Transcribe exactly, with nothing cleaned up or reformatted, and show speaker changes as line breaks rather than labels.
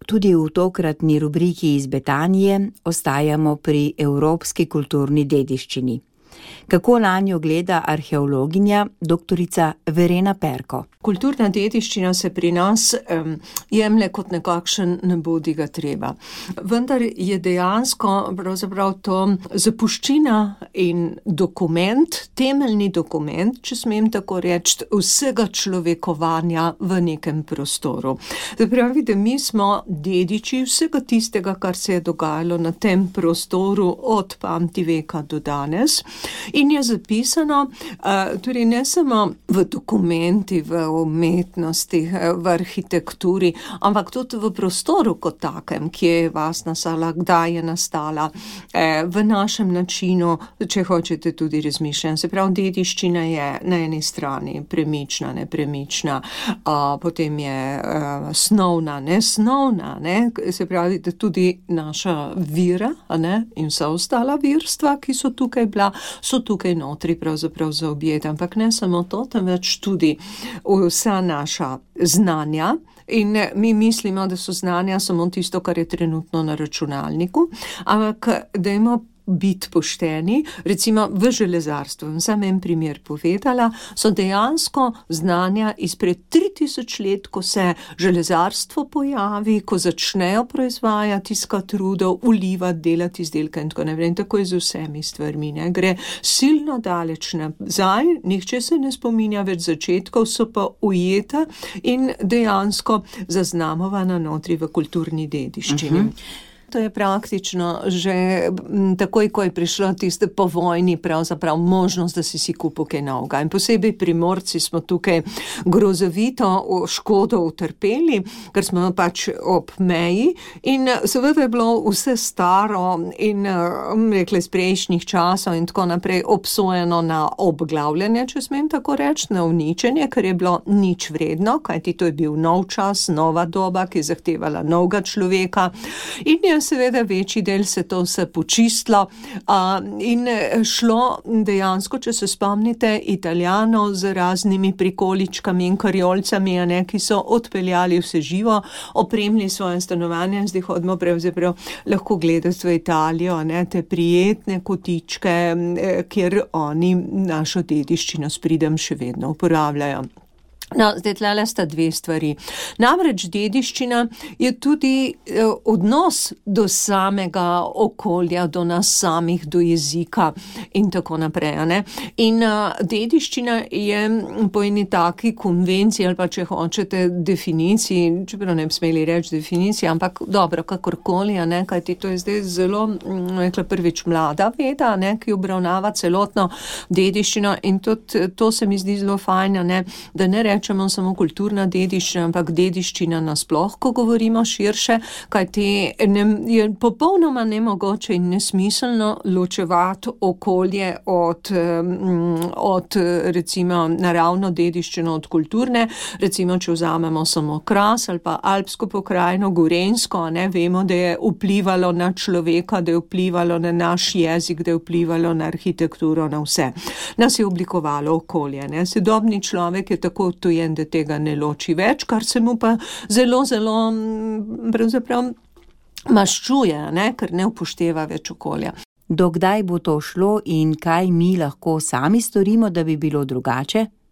Tudi v tokratni rubriki iz Betanije ostajamo pri evropski kulturni dediščini. Kako nanjo gleda arheologinja doktorica Verena Perko?
Kulturna dediščina se pri nas um, jemlje kot nekakšen nebodiga treba. Vendar je dejansko pravzaprav to zapuščina in dokument, temeljni dokument, če smem tako reči, vsega človekovanja v nekem prostoru. Pravi, da mi smo dediči vsega tistega, kar se je dogajalo na tem prostoru od pamtiveka do danes. In je zapisano uh, tudi ne samo v dokumenti, v umetnosti, v arhitekturi, ampak tudi v prostoru kot takem, kje je vas nastala, kdaj je nastala, eh, v našem načinu, če hočete tudi razmišljati. Se pravi, dediščina je na eni strani premična, nepremična, uh, potem je uh, snovna, nesnovna, ne? Se pravi, da tudi naša vira, ne? In vsa ostala virstva, ki so tukaj bila, so tukaj notri pravzaprav zaobjeta, ampak ne samo to, temveč tudi vsa naša znanja. In mi mislimo, da so znanja samo tisto, kar je trenutno na računalniku, ampak dajmo biti pošteni, recimo v železarstvu, sem en primer povedala, so dejansko znanja izpred tri tisoč let, ko se železarstvo pojavi, ko začnejo proizvajati, iskati rudo, ulivati, delati izdelke in tako naprej. In tako je z vsemi stvarmi, ne? Gre silno daleč nazaj, nihče se ne spominja več začetkov, so pa ujeta in dejansko zaznamovana notri v kulturni dediščini. Uh-huh. To je praktično že takoj, ko je prišlo tiste po vojni pravzaprav možnost, da si si kupil kaj novega. In posebej Primorci smo tukaj grozovito škodo utrpeli, ker smo pač ob meji in seveda je bilo vse staro in rekli iz prejšnjih časov in tako naprej obsojeno na obglavljanje, če smem tako reči, na uničenje, ker je bilo nič vredno, kajti to je bil nov čas, nova doba, ki je zahtevala novega človeka in je seveda večji del se to vse počistilo uh, in šlo dejansko, če se spomnite, Italijanov z raznimi prikoličkami in karjolcami, ne, ki so odpeljali vse živo, opremili svoje stanovanje in zdaj hodimo pravzaprav lahko gledati v Italijo, ne, te prijetne kotičke, kjer oni našo dediščino s pridom še vedno uporabljajo. No, zdaj tlele sta dve stvari. Namreč dediščina je tudi eh, odnos do samega okolja, do nas samih, do jezika in tako naprej, ne. In uh, dediščina je po eni taki konvenciji ali pa če hočete definiciji, čeprav ne bi smeli reči definiciji, ampak dobro, kakorkoli, ne, kajti to je zdaj zelo, rekla prvič mlada veda, ne, ki obravnava celotno dediščino in tudi to se mi zdi zelo fajn, ne, da ne rečemo samo kulturna dediščina, ampak dediščina nasploh, ko govorimo širše, kajti ne, je popolnoma nemogoče in nesmiselno ločevati okolje od, od recimo naravno dediščino od kulturne. Recimo, če vzamemo samo Kras ali pa Alpsko pokrajino, Gorenjsko, ne, vemo, da je vplivalo na človeka, da je vplivalo na naš jezik, da je vplivalo na arhitekturo, na vse. Nas je oblikovalo okolje, ne. Sodobni človek je tako odtujen, da tega ne loči več, kar se mu pa zelo, zelo pravzaprav maščuje, ne, ker ne upošteva več okolja.
Dokdaj bo to šlo in kaj mi lahko sami storimo, da bi bilo drugače?